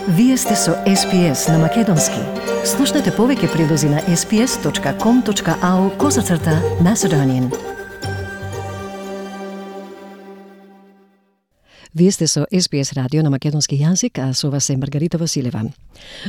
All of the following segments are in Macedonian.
Вие сте со SPS на Македонски. Слушнете повеќе прилози на sps.com.au/Macedonian. Вие сте со SPS радио на македонски јазик, а со вас е Маргарита Василева.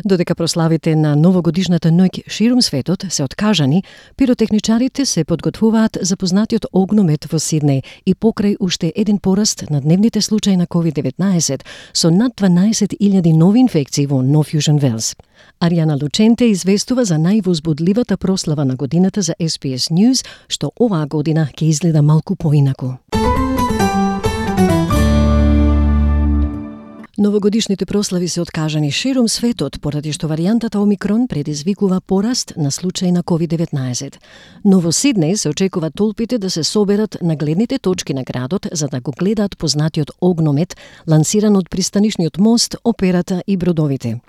Додека прославите на новогодишната ноќ ширум светот се откажани, пиротехничарите се подготвуваат за познатиот огномет во Сиднеј и покрај уште еден пораст на дневните случаи на COVID-19 со над 12.000 нови инфекции во Нов Јужен Велс. Аријана Лученте известува за највозбудливата прослава на годината за SPS News, што оваа година ќе изгледа малку поинаку. Новогодишните прослави се откажани ширум светот поради што варијантата Омикрон предизвикува пораст на случаи на COVID-19. Но во Сиднеј се очекува толпите да се соберат на гледните точки на градот за да го гледаат познатиот огномет лансиран од пристанишниот мост, операта и бродовите.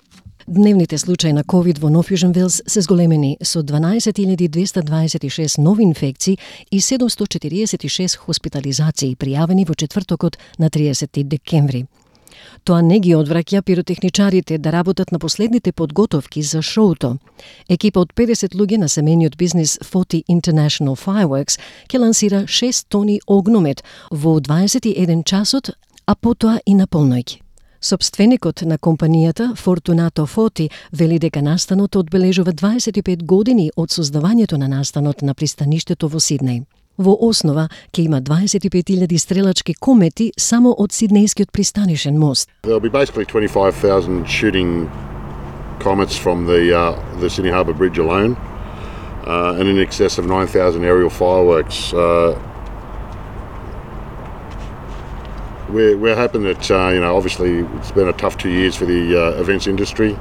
Дневните случаи на COVID во Нов Јужен Велс се зголемени со 12.226 нови инфекции и 746 хоспитализации пријавени во четвртокот на 30 декември. Тоа не ги одвраќа пиротехничарите да работат на последните подготовки за шоуто. Екипа од 50 луѓе на семејниот бизнис 40 International Fireworks ќе лансира 6 тони огномет во 21 часот, а потоа и на полноќ. Собственикот на компанијата Fortunato Foti вели дека настанот одбележува 25 години од создавањето на настанот на пристаништето во Сиднеј. Во основа ќе има 25.000 стрелачки комети само од Сиднејскиот пристанишен мост. There'll be basically 25,000 shooting comets from the Sydney Harbour Bridge alone, and in excess of 9,000 aerial fireworks. We're hoping that obviously it's been a tough 2 years for the events industry,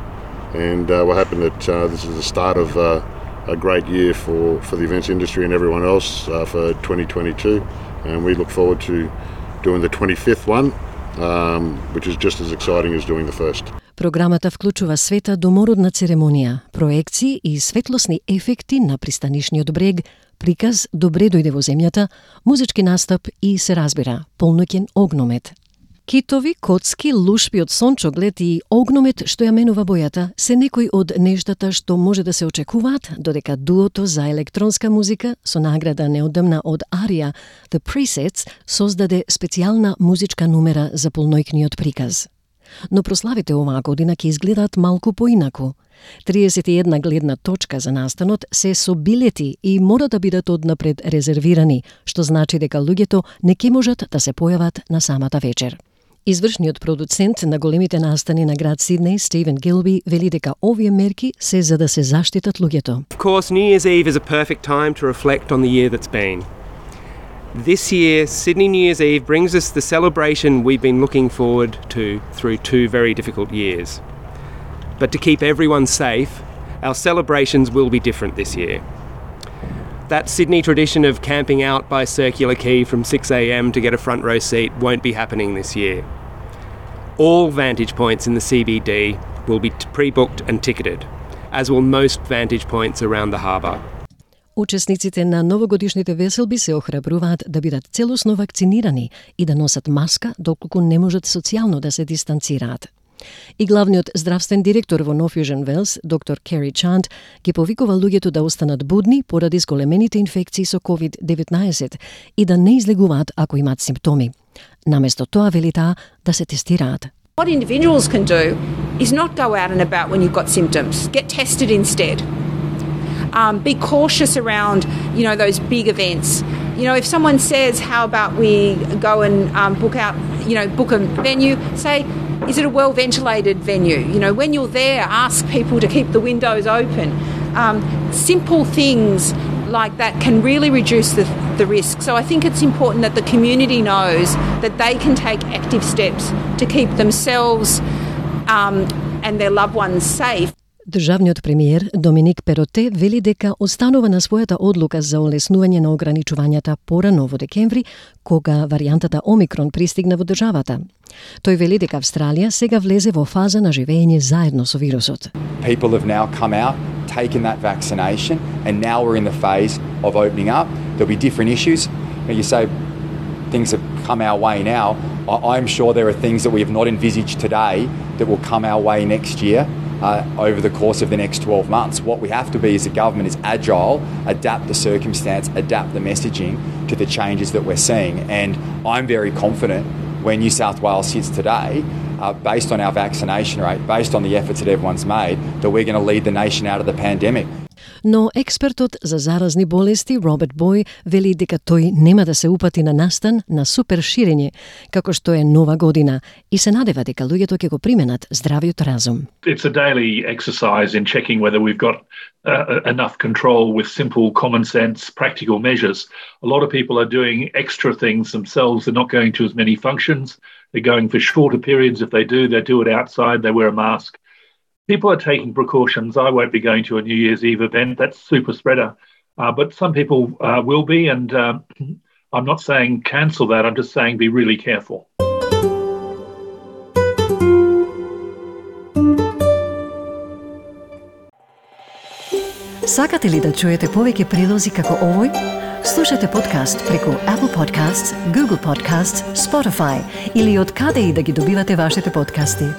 and we're hoping that this is the start of a great year for the events industry and everyone else for 2022, and we look forward to doing the 25th one, which is just as exciting as doing the first. Програмата вклучува света домородна церемонија, проекции и светлосни ефекти на пристанишниот брег, приказ Добре дојде во земјата, музички настап и се разбира, полноќен огномет. Китови, коцки, лушпи од сончоглед и огномет што ја менува бојата се некои од нештата што може да се очекуваат, додека дуото за електронска музика со награда неодамна од Арија, The Presets, создаде специјална музичка numera за полнојкниот приказ. Но прославите оваа година ќе изгледаат малку поинаку. 31 гледна точка за настанот се со билети и мора да бидат однапред резервирани, што значи дека луѓето не ќе можат да се појават на самата вечер. Извршниот продуцент на големите настани на град Сиднеј, Стивен Гилби, вели дека овие мерки се за да се заштитат луѓето. Of course, New Year's Eve is a perfect time to reflect on the year that's been. This year, Sydney New Year's Eve brings us the celebration we've been looking forward to through 2 very difficult years. But to keep everyone safe, our celebrations will be different this year. That Sydney tradition of camping out by Circular Quay from 6 a.m. to get a front row seat won't be happening this year. All vantage points in the CBD will be pre-booked and ticketed, as will most vantage points around the harbour. Учесниците на новогодишните веселби се охрабруваат да бидат целосно вакцинирани и да носат маска доколку не можат социјално да се дистанцираат. И главниот здравствен директор во Нов Јужен Велс, доктор Кери Чанд, ги повикува луѓето да останат будни поради зголемените инфекции со COVID-19 и да не излегуваат ако имаат симптоми. Наместо тоа вели таа да се тестираат. What individuals can do is not go out and about when you've got symptoms. Get tested instead. Be cautious around, those big events. If someone says, how about we go and book a venue, say, is it a well-ventilated venue? When you're there, ask people to keep the windows open. Simple things like that can really reduce the risk. So I think it's important that the community knows that they can take active steps to keep themselves and their loved ones safe. Државниот премиер Доминик Пероте вели дека останува на својата одлука за олеснување на ограничувањата порано во декември, кога варијантата Омикрон пристигна во државата. Тој вели дека Австралија сега влезе во фаза на живење заедно со вирусот. People have now come out, taken that vaccination, and now we're in the phase of opening up. There'll be different issues. You say things are come our way now, I'm sure there are things that we have not envisaged today that will come our way next year over the course of the next 12 months. What we have to be as a government is agile, adapt the circumstance, adapt the messaging to the changes that we're seeing. And I'm very confident where New South Wales sits today, based on our vaccination rate, based on the efforts that everyone's made, that we're going to lead the nation out of the pandemic. Но експертот за заразни болести Роберт Бој вели дека тој нема да се упати на настан на супер ширење, како што е нова година, и се надева дека луѓето ќе го применат здравиот разум. It's a daily exercise in checking whether we've got enough control with simple, common sense, practical measures. A lot of people are doing extra things themselves. They're not going to as many functions. They're going for shorter periods. If they do it outside. They wear a mask. People are taking precautions. I won't be going to a New Year's Eve event. That's super spreader. But some people will be, and I'm not saying cancel that. I'm just saying be really careful. Сакате ли да чуете повеќе прилози како овој? Слушате подкаст преку Apple Podcasts, Google Podcasts, Spotify или од каде и да ги добивате вашите подкасти.